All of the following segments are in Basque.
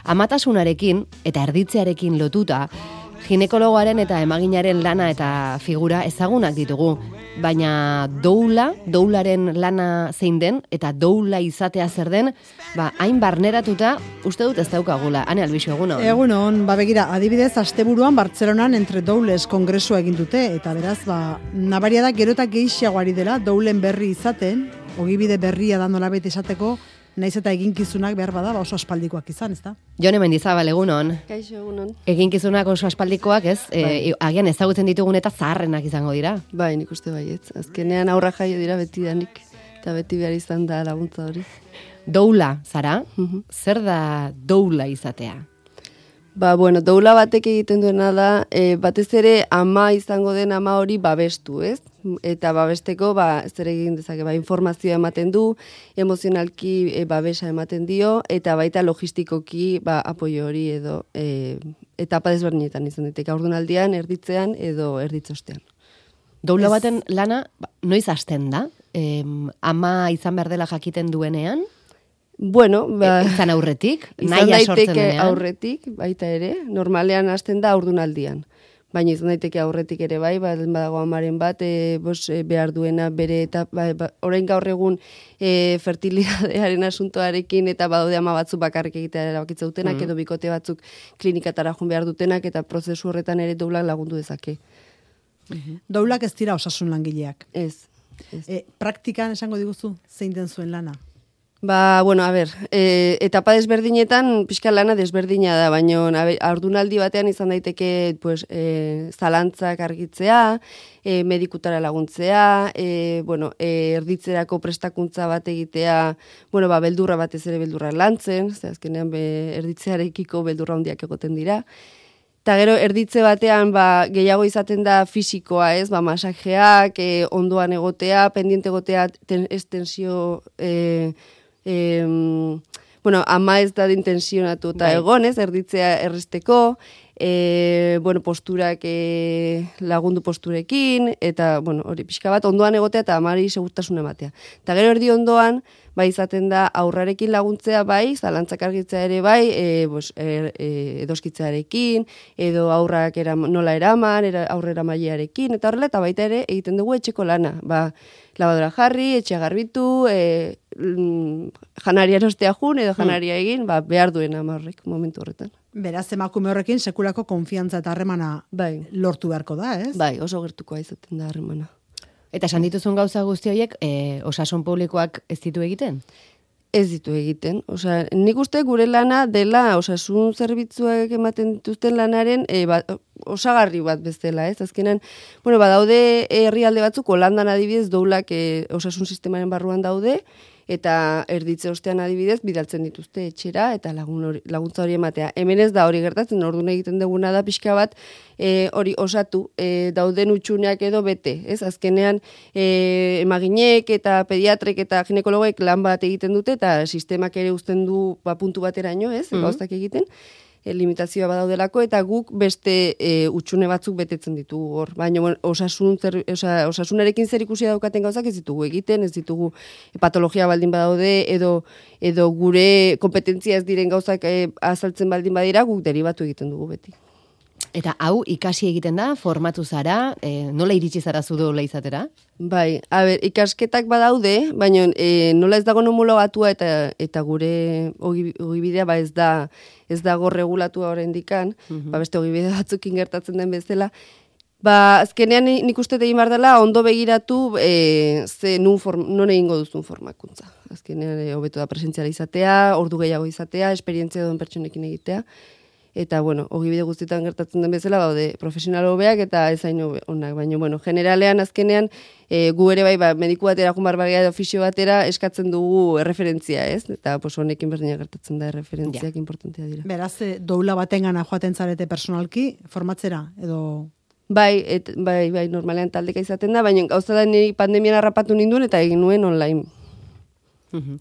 Amatasunarekin eta erditzearekin lotuta, ginekologoaren eta emaginaren lana eta figura ezagunak ditugu, baina doularen lana zein den eta doula izatea zer den, hain barneratuta uste dut ez daukagula. Ane Albixo, egunon? Egunon, begira, adibidez, asteburuan Bartzelonan Entre Doules kongresua egin dute, eta beraz, nabaria da gero eta gehiagoari dela doulen berri izaten, ogibide berria da nolabait esateko, naiz eta eginkizunak behar bada, oso aspaldikoak izan, ezta? Jone Mendizabal, egunon? Kaixo, egunon. Eginkizunak oso aspaldikoak, ez? Agian ezagutzen ditugun eta zaharrenak izango dira. Bai, nik uste baietz. Azkenean aurra jaio dira beti danik, eta beti behar izan da laguntza hori. Doula, zara? Zer da doula izatea? Doula batek egiten duena da, batez ere ama izango den ama hori babestu, ez? Eta babesteko, zer egin dezake, informazioa ematen du, emozionalki babesa ematen dio, eta baita logistikoki apoio hori edo etapa desberdinetan izan daiteke, haurdunaldian, erditzean edo erditzostean. Doula baten lana, noiz hasten da? Ama izan behar dela jakiten duenean? Izan aurretik? Izan daiteke aurretik, baita ere, normalean hasten da haurdunaldian. Baina izan daiteke aurretik ere badago amaren bat, behar duena bere eta orain gaur egun fertilidadearen asuntoarekin eta badaude ama batzuk bakarrik egitea erabakitza dutenak, edo bikote batzuk klinikatara joan behar dutenak, eta prozesu horretan ere doulak lagundu dezake. Doulak ez dira osasun langileak. Ez. Praktikan esango diguzu, zein den zuen lana? Etapa desberdinetan pixka lana desberdina da, baina haurdunaldi batean izan daiteke zalantzak argitzea, medikutara laguntzea, erditzerako prestakuntza bat egitea, beldurra batez ere beldurra lantzen, azkenean erditzearekiko beldurra handiak egoten dira. Eta gero erditze batean gehiago izaten da fisikoa, ez? Masajeak, ondoan egotea, pendiente egotea, estensio ama ez da intensionatu eta egon, ez, erditzea erresteko, posturak lagundu posturekin, eta, hori pixka bat, ondoan egotea eta amari segurtasun ematea. Eta gero erdi ondoan, izaten da aurrarekin laguntzea zalantzak argitzea ere edoskitzearekin, edo aurrak nola eraman, aurrera mailearekin, eta horrela, eta baita ere egiten dugu etxeko lana. Labadora jarri, etxea garbitu, janaria erostea jun, edo janaria egin, behar duen amarrek momentu horretan. Beraz, emakume horrekin sekulako konfiantza eta harremana lortu beharko da, ez? Oso gertukoa izaten da harremana. Eta esan dituzun gauza guzti horiek, osasun publikoak ez ditu egiten? Ez ditu egiten. Nik uste gure lana dela osasun zerbitzuak ematen dituzten lanaren osagarri bat bezala, ez? Azkenan, badaude herrialde batzuk, Holandan adibidez, doulak osasun sistemaren barruan daude, eta erditze ostean adibidez, bidaltzen dituzte etxera, eta laguntza hori ematea. Hemen ez da hori gertatzen, orduan egiten duguna da pixka bat, hori osatu, dauden utxuneak edo bete, ez? Azkenean, emaginek eta pediatrek eta ginekologoek lan bat egiten dute, eta sistemak ere uzten du puntu bateraino, ez? Gauztak egiten, limitazioa badaudelako, eta guk beste utxune batzuk betetzen ditugu hor. Baina osasunarekin zer ikusia daukaten gauzak ez ditugu egiten, ez ditugu patologia baldin badaude, edo gure kompetentzia ez diren gauzak azaltzen baldin badira, guk deribatu egiten dugu beti. Eta hau ikasi egiten da, formatu zara, nola iritsi zara zu doula izatera? Ikasketak badaude, baina nola ez dago homologatua eta gure ogibidea ez dago regulatua oraindikan, beste ogibide batzukin gertatzen den bezala. Azkenean nik uste egin behar dela ondo begiratu non egingo duzun formakuntza. Azkenean hobeto da presentziala izatea, ordu gehiago izatea, esperientzia duen pertsonekin egitea. Eta, ogibide guztietan gertatzen den bezala, profesional hobeak eta ezain onak. Baina, generalean, azkenean, gu ere mediku batera, jun barbaria edo fisio batera, eskatzen dugu erreferentzia, ez? Eta, honekin berdina gertatzen da erreferentziak importantea dira. Beraz, doula batengana joaten zarete personalki, formatzera, edo... Bai, normalean taldeka izaten da, baina gauza da niri pandemian harrapatu ninduen eta egin nuen online.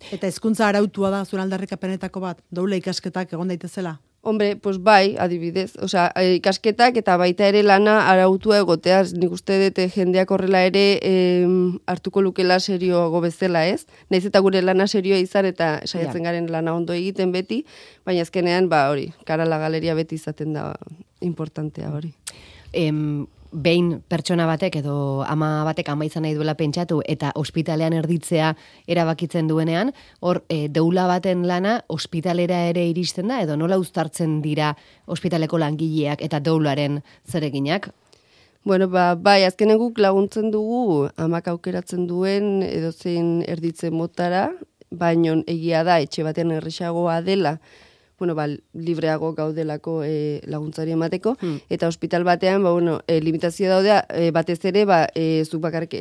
Eta hezkuntza arautua da zure aldarrikapenetako bat, doula ikasketak egon daitezela? Hombre, pues bai, adibidez, osea, ikasketak eta baita ere lana arautua egotea, nik uste dut jendeak horrela ere hartuko lukela serioago bezala, ez? Naiz eta gure lana serioa izan eta saiatzen garen lana ondo egiten beti, baina azkenean, hori, karala galeria beti izaten da importantea hori. Behin pertsona batek edo ama batek ama izan nahi duela pentsatu eta ospitalean erditzea erabakitzen duenean, hor deula baten lana ospitalera ere iristen da edo nola uztartzen dira ospitaleko langileak eta deularen zereginak? Bueno, bai, azkenen guk laguntzen dugu amak aukeratzen duen edozein erditzen motara, baino egia da etxe batean erresagoa dela, libreago gaudelako laguntzari emateko, eta ospital batean, limitazio daudea, batez ere, zuk bakarrik,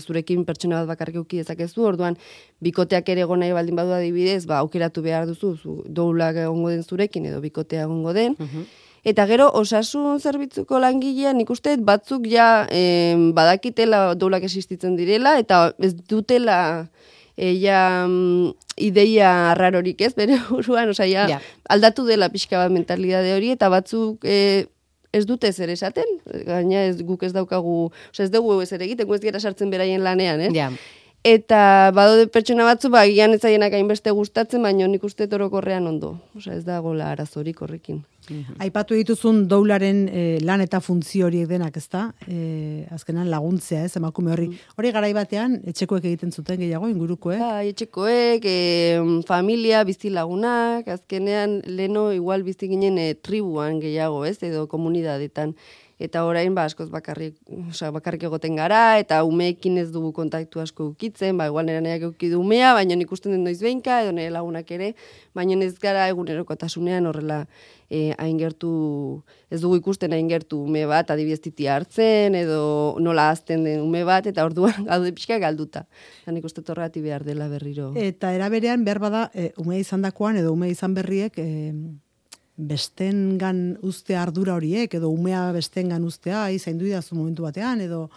zurekin pertsona bat bakarrik euki dezakezu, orduan, bikoteak ere egon nahi baldin badu adibidez, aukeratu behar duzu, doulak egongo den zurekin, edo bikotea egongo den, eta gero, osasun zerbitzuko langilean, nik uste, batzuk ja badakitela doulak existitzen direla, eta ez dutela ideia rarorik ez, bere buruan, aldatu dela pixka bat mentalidade hori, eta batzuk ez dute zer esaten, gaina guk ez daukagu, ez dugu ez ere egiten, ez gara sartzen beraien lanean, Eta badaude pertsona batzu, gian ez zaienak hainbeste gustatzen, baina nik uste orokorrean ondo. Ez dagoela arazorik horrekin. Aipatu dituzun doularen lan eta funtzio horiek denak, ezta? Azkenan laguntzea, emakume horri. Hori garai batean, etxekoek egiten zuten gehiago, ingurukoek? Etxekoek, familia, bizi lagunak, azkenean leno igual bizi ginen tribuan gehiago, edo komunidadetan. Eta orain, askoz bakarrik egoten gara, eta umeekin ez dugu kontaktu asko ukitzen, igual nera nahiak eukidu umea, baina ikusten den noiz behinka, edo nire lagunak ere, baina ez gara egunerokotasunean horrela hain gertu, ez dugu ikusten hain gertu ume bat, adibidez titi hartzen, edo nola azten den ume bat, eta orduan gaude pixka galduta. Nik uste torrati behar dela berriro. Eta eraberean, behar bada, ume izan dakoan, edo ume izan berriek, bestengan ustea ardura horiek, edo umea bestengan ustea, zaindu idazu momentu batean, edo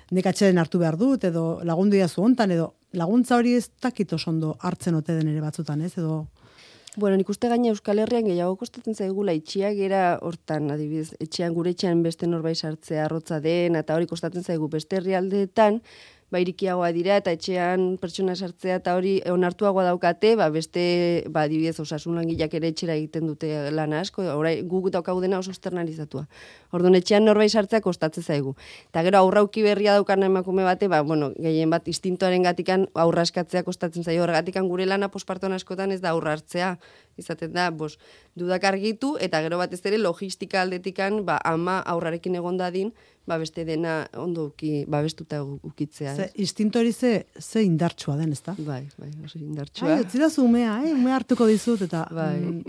nekatxeren hartu behar dut, edo lagundu idazu hontan, edo laguntza hori ez dakit oso ondo hartzen ote den ere batzutan, ez, edo... Bueno, nik uste gaina Euskal Herrian gehiago kostatzen zaigula itxiak gera hortan, adibidez, gure etxean beste norbait sartzea arrotza den, eta hori kostatzen zaigu beste herrialdeetan, irikiagoa dira, eta etxean pertsona sartzea, eta hori onartuagoa daukate, beste, adibidez, osasun langileak ere etxera egiten dute lana asko, guk daukagu dena oso externalizatua. Orduan etxean norbait sartzea kostatzen zaigu. Eta gero aurrauki berria daukan emakume bate, gehien bat instintoaren gatikan aurra eskatzea kostatzen zaio, horregatikan gure lana posparton askotan ez da aurra hartzea, izaten da, dudak argitu, eta gero batez ere logistika aldetikan, ama aurrarekin egon dadin, beste dena ondo babestuta ukitzea. Instinto hori ze indartsua den, ezta? Bai, oso indartsua. Utzidazu umea, umea hartuko dizut, eta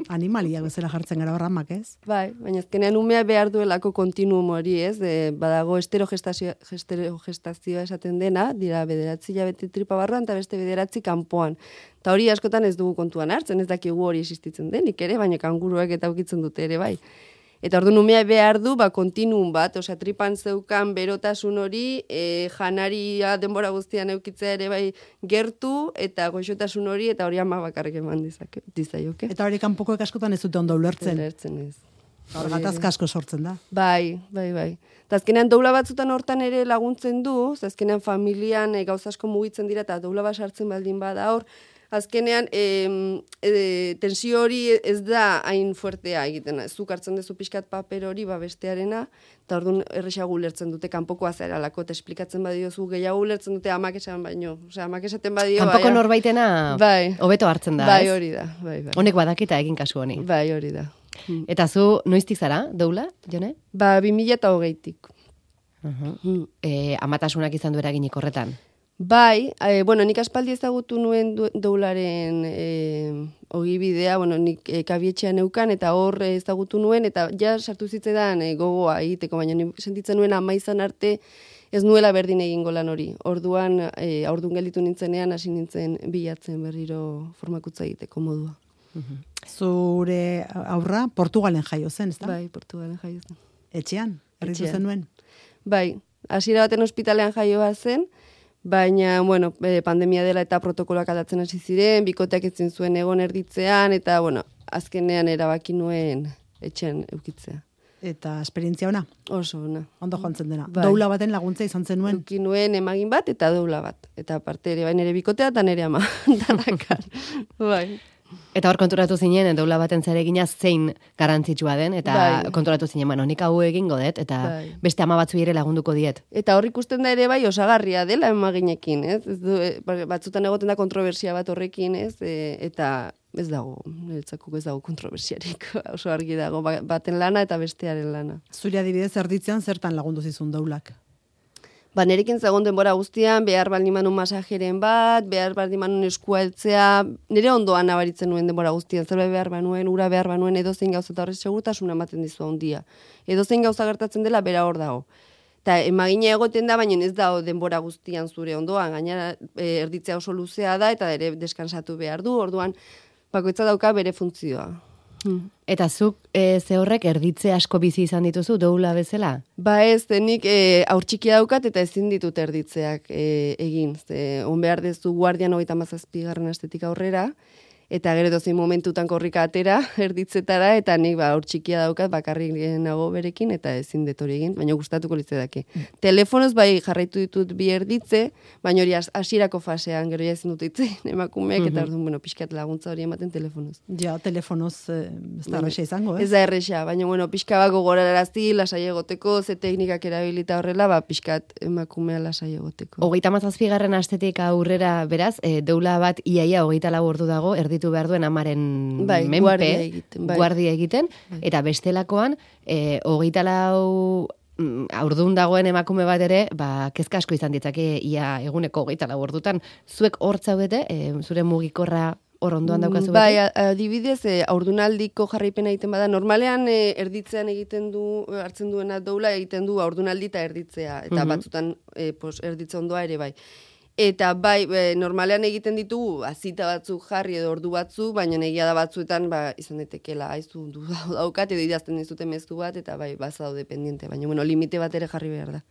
animaliak bezala jartzen gara horramak, ez? Baina azkenean umea behar duelako kontinuum hori, ez? Badago esterogestazioa esaten dena, dira 9 hilabete tripa barruan, eta beste 9 kanpoan. Eta hori askotan ez dugu kontuan hartzen, ez dakigu hori existitzen denik ere, baina kanguruak eta ukitzen dute ere, bai. Eta orduan umea behar du, kontinuum bat, tripan zeukan berotasun hori, janaria denbora guztian eukitzea ere bai gertu, eta goxotasun hori, eta hori ama bakarrik eman dizaioke. Eta hori kanpokoek askotan ez dute ondo ulertzen. Ulertzen ez. Hor gatazka asko sortzen da. Bai. Eta azkenean doula batzutan hortan ere laguntzen du, azkenean familian gauza asko mugitzen dira, eta doula bat sartzen baldin bada hor, azkenean, tensio hori ez da hain fuertea egiten. Zuk hartzen duzu pixkat paper hori bestearena, eta orduan erresago ulertzen dute kanpokoa zeralako, eta esplikatzen badiozu gehiago ulertzen dute amak esan baino. Amak esaten badio... Kanpoko norbaitena hobeto hartzen da, ez? Bai, hori da. Honek badakita egin kasu honi. Bai, hori da. Eta zu, noiztik zara, doula, Jone? 2020-tik. Amatasunak izan du eraginik horretan? Bai, nik aspaldi ezagutu nuen doularen ogibidea, nik kabietxean neukan, eta hor ezagutu nuen, eta ja sartu zitzetan gogoa egiteko, baina sentitzen nuen ama izan arte ez nuela berdin egingo lan hori. Orduan gelditu nintzenean, hasi nintzen bilatzen berriro formakutza egiteko modua. Zure aurra Portugalen jaio zen, ezta? Bai, Portugalen jaio zen. Etxean? Erritu zen nuen? Bai, hasiera baten ospitalean jaioa zen, Baina, bueno, pandemia dela eta protokoloak aldatzen hasi ziren, bikoteak etzen zuen egon erditzean, eta, bueno, azkenean erabaki nuen etxean eukitzea. Eta esperientzia ona? Oso ona. Ondo joantzen dena. Bai. Doula baten laguntza izan zenuen? Euki nuen emagin bat eta doula bat. Eta aparte ere, bai nere bikotea eta nere ama. Danakan. Bai. Eta hor konturatu zinen, doula baten zeregina zein garrantzitsua den, eta Bai. konturatu zinen, bueno, nik hau egingo dut, eta Bai. beste ama batzu ere lagunduko diet. Eta hor ikusten da ere bai osagarria dela emaginekin, ez? Ez du, batzutan egoten da kontrobersia bat horrekin, ez? Eta ez dago, niretzako ez dago kontrobersiarik. Oso argi dago, baten lana eta bestearen lana. Zuri adibidez erditzean zertan lagundu zizun doulak? Nerekin zegoen denbora guztian, behar baldin manun masajeren bat, behar baldin manun eskua heltzea, nire ondoan nabaritzen nuen denbora guztian, zerbait behar banuen, ura behar banuen, edozein gauza eta horrez segurtasuna ematen dizu handia. Edozein gauza gertatzen dela, bera hor dago. Eta emagina egoten da, baina ez dago denbora guztian zure ondoan, gainera erditzea oso luzea da, eta ere deskansatu behar du, orduan bakoitza dauka bere funtzioa. Eta zuk ze horrek erditze asko bizi izan dituzu doula bezala? Ba ez, nik aur txikia daukat eta ezin ditut erditzeak egin. On behar dezu guardian 37. astetik aurrera, eta gero dozein momentutan korrika atera erditzetara, eta nik aur txikia daukat bakarrik nago berekin, eta ezin dut hori egin, baina gustatuko litzedake. Telefonoz bai jarraitu ditut bi erditze, baina hori hasierako fasean, gero ja ezin dut itzein emakumeek, eta orduan, bueno, pixkat laguntza hori ematen telefonoz. Ja, telefonoz ez da erresa izango, Ez da erresa, baina, bueno, pixka bat gogorarazi, lasai egoteko, ze teknikak erabilita horrela, ba, pixkat emakumea lasai egoteko. 37. astetik aurrera, beraz, doula bat iaia 24 ordu dago, erditu behar duen amaren menpe, guardia egiten, eta bestelakoan, 24 aurdun dagoen emakume bat ere, ba, kezka asko izan ditzake, ia eguneko 24 ordutan, zuek hor zaudete, zure mugikorra hor ondoan daukazu beti? Bai, adibidez, aurdunaldiko jarraipena egiten bada, normalean erditzean egiten du, hartzen duena doula egiten du aurdunaldi eta erditzea, eta batzutan erditze ondoa ere bai. Eta bai, normalean egiten ditugu azita batzuk jarri edo ordu batzuk, baina egia da batzuetan izan daitekeela aizu du daukat edo idazten dizute mezu bat, eta bai, baza daude pendiente, baina bueno, limite bat ere jarri behar da.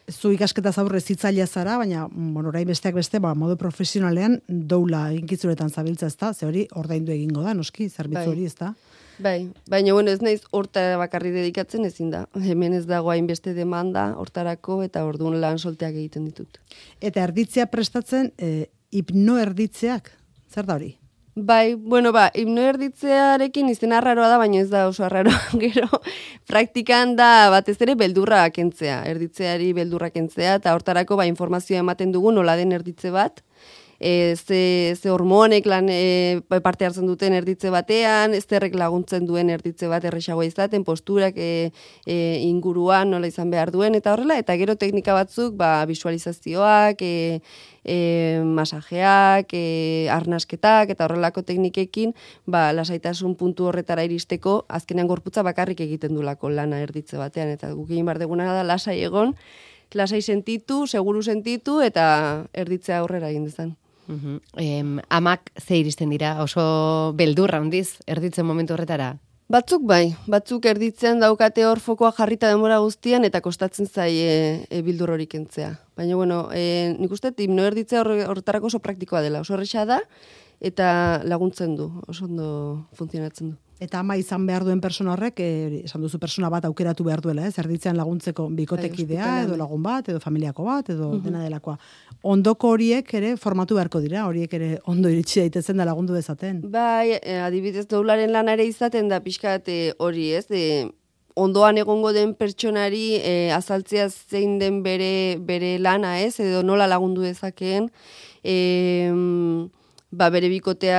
Zu ikasketaz aurre zitzailea zara, baina orain besteak beste, modu profesionalean doula eginkitzuretan zabiltza, ezta? Ze hori ordaindu egingo da, noski, zerbitzu hori, ezta? Bai, baina bueno, ez naiz hortara bakarri dedikatzen ezin da. Hemen ez dago hainbeste demanda hortarako eta orduan lan solteak egiten ditut. Eta erditzea prestatzen, hipnoerditzeak, zer da hori? Bai, bueno, hipnoerditzearekin izena arraroa da, baina ez da oso arraroa. Gero, praktikan da batez ere beldurra kentzea, erditzeari beldurra kentzea, eta hortarako informazioa ematen dugu nola den erditze bat, ze hormonek parte hartzen duten erditze batean, zerrek laguntzen duen erditze bat erresagoa izaten, posturak inguruan nola izan behar duen, eta horrela, eta gero teknika batzuk, visualizazioak, masajeak, arnasketak, eta horrelako teknikekin, lasaitasun puntu horretara iristeko, azkenean gorputza bakarrik egiten dulako lana erditze batean, eta guk egin behar deguna da lasai egon, lasai sentitu, seguru sentitu, eta erditzea aurrera egin dezan. Amak ze iristen dira, oso beldurra handiz, erditzen momentu horretara? Batzuk bai, batzuk erditzean daukate hor fokoa jarrita denbora guztian eta kostatzen zaie bildur hori kentzea. Baina, bueno, nik uste, hipnoerditzea horretarako oso praktikoa dela, oso horreza da, eta laguntzen du, oso ondo funtzionatzen du. Eta ama izan behar duen persona horrek, esan duzu persona bat aukeratu behar duela, erditzean laguntzeko bikotekidea, edo lagun bat, edo familiako bat, edo dena delakoa. Ondoko horiek ere formatu beharko dira, horiek ere ondo iritsi daitezen da lagundu dezaten. Bai, adibidez doularen lana ere izaten da pixkat hori, ez, ondoan egongo den pertsonari azaltzea zein den bere lana, ez, edo nola lagundu dezakeen, bere bikotea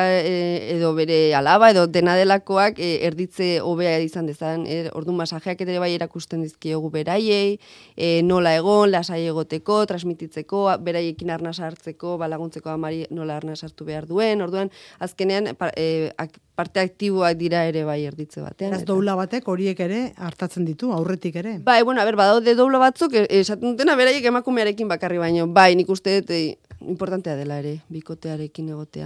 edo bere alaba edo dena delakoak erditze hobea izan dezan. Orduan masajeak ere bai erakusten dizkiogu beraiei, nola egon, lasai egoteko, transmititzeko, beraiekin arnasa hartzeko, laguntzeko amari nola arnasa hartu behar duen. Orduan azkenean parte aktiboak dira ere bai erditze batean. Ez doula batek horiek ere hartatzen ditu, aurretik ere. Bai, bueno, badaude doula batzuk, esaten dutena beraiek emakumearekin bakarri baino. Bai, nik uste dut importantea dela ere, bikotearekin egotea.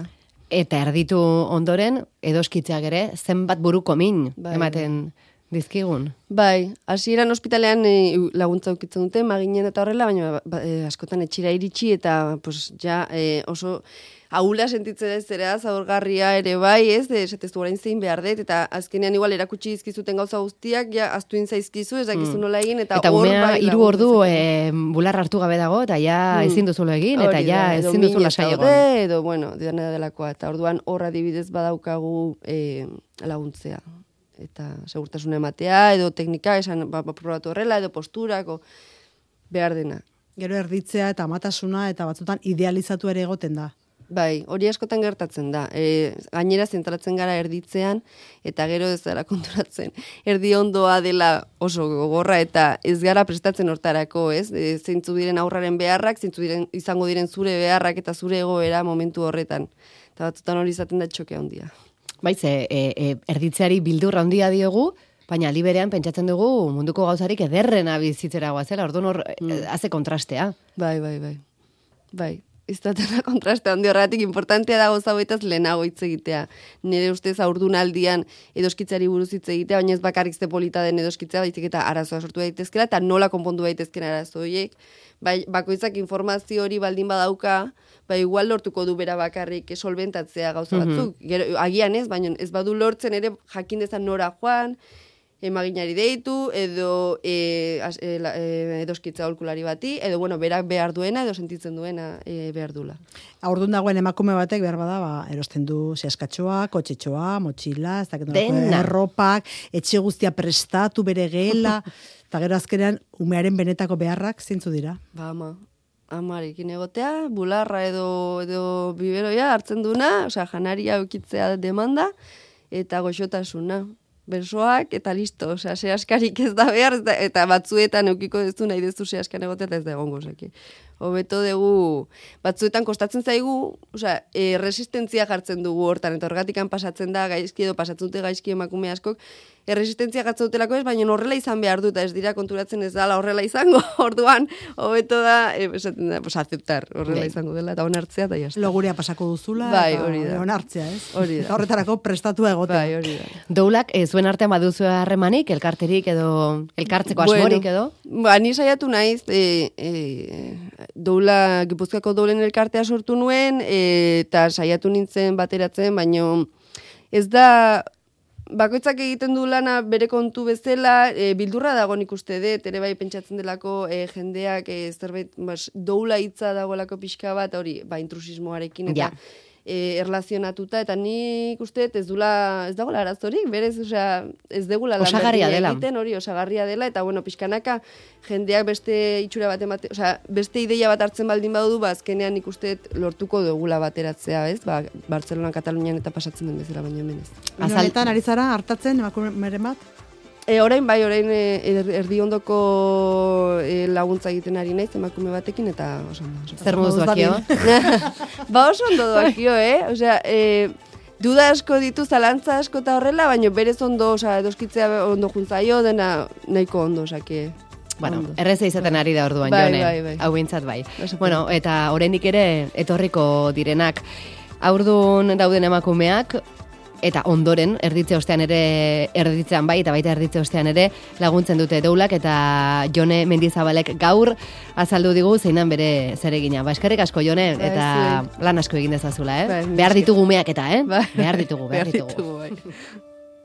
Eta erditu ondoren, edoskitzeak ere, zenbat buruko min ematen dizkigun. Bai, hasieran ospitalean laguntza ukitzen dute, maginen eta horrela, baina askotan etxira iritsi eta pues, ja oso ahula sentitzen ez zera, zaurgarria ere bai, ez, esatezu orain zein behar dut, eta azkenean igual erakutsi izkizuten gauza guztiak, ja, aztuin zaizkizu, ez dakizu nola egin, eta hor umea bai. 3 ordu bular hartu gabe dago, eta ja ezin duzulo egin, eta ja ezin duzu lasai egon. Edo, bueno, dena delakoa, eta orduan hor adibidez badaukagu laguntzea. Eta segurtasuna ematea, edo teknika, esan probatu horrela, edo posturako, behar dena. Gero erditzea eta amatasuna eta batzutan idealizatu ere egoten da. Bai, hori askotan gertatzen da. Gainera zentratzen gara erditzean, eta gero ez dara konturatzen. Erdi ondoa dela oso gogorra eta ez gara prestatzen hortarako, ez? Zeintzu diren aurraren beharrak, izango diren zure beharrak eta zure egoera momentu horretan. Eta batzutan hori izaten da txoke handia. Baiz, erditzeari bildurra handia diogu, baina liberean pentsatzen dugu munduko gauzarik ederrena bizitzera goazela, orduan hor haze kontrastea. Bai. Ez da kontraste handi horretik importantea da gauza hauetaz lehenago hitz egitea. Nire ustez haurdunaldian edoskitzari buruz hitz egitea, baina ez bakarrik ze polita den edoskitzea, baizik eta arazoa sortu daitezkela eta nola konpondu daitezken arazo horiek. Bai, bakoitzak informazio hori baldin badauka, bai igual lortuko du bera bakarrik solventatzea gauza batzuk. Agian ez, baina ez badu lortzen ere jakin dezan nora joan, emaginari deitu, edo edoskitza aholkulari bati, edo bueno, berak behar duena, edo sentitzen duena behar dula. Aurdun dagoen emakume batek behar bada, erosten du zehaskatxoa, kotxetxoa, motxila, ez dakit erropak, etxe guztia prestatu bere gela, eta gero azkenean umearen benetako beharrak zintzu dira. Ba, amarekin egotea, bularra edo biberoia hartzen duna, osea, janaria eukitzea demanda, eta goxotasuna. Bersoak eta listo, osea, sehaskarik ez da behar, eta batzuetan eukiko dezu nahi dezu sehaskan egotea, eta ez da egongo zeki. Hobeto dugu, batzuetan kostatzen zaigu, osea, resistentzia jartzen dugu hortan, eta horgatikan pasatzen da gaizki edo pasatzen dute gaizki emakume askok, resistentzia jartzen dutelako ez, baina horrela izan behar dut, ez dira konturatzen ez dala horrela izango, orduan, hobeto da, esaten da, aceptar, horrela izango dela, eta onartzea, eta jazta. Logurea pasako duzula, eta onartzea, ez? Hori da. Eta horretarako prestatu egotea. Bai, hori da. Doulak, zuen artean baduzu harremanik, elkarterik edo, elkartzeko asmorik edo? Ni saiatu naiz, doula, Gipuzkoako doulen elkartea sortu nuen, eta saiatu nintzen bateratzen, baino ez da, bakoitzak egiten du lana bere kontu bezala, bildurra dago nik uste dut, ere bai pentsatzen delako jendeak zerbait doula hitza dagoelako pixka bat, hori, intrusismoarekin eta erlazionatuta, eta nik uste ez dagoela arazorik, berez, osea, ez degula osagarria dela. Egiten, hori osagarria dela, eta bueno, pixkanaka jendeak beste itxura bat emate, osea, beste ideia bat hartzen baldin badudu, azkenean nik uste lortuko dugula bateratzea, ez? Bartzelona, Katalunian eta pasatzen den bezala, baina hemen ez. Azaltan ari zara hartatzen emakumeren bat? Orain erdi ondoko laguntza egiten ari naiz emakume batekin, eta oso ondo. Zer moduz doakio? Oso ondo doakio, Osea, duda asko ditu, zalantza asko eta horrela, baina berez ondo, osea, edoskitzea ondo juntzaio, dena nahiko ondo, osea, bueno, erreza izaten ari da orduan, Jone. Bai. Hau bintzat bai. Bueno, eta oraindik ere etorriko direnak. Aurdun dauden emakumeak, eta ondoren, erditze ostean ere, erditzean bai, eta baita erditze ostean ere, laguntzen dute doulak, eta Jone Mendizabalek gaur azaldu digu zeinan bere zeregina. Eskerrik asko, Jone, eta lan asko egin dezazula, Behar ditugu umeak eta, Behar ditugu. Behar ditugu, bai.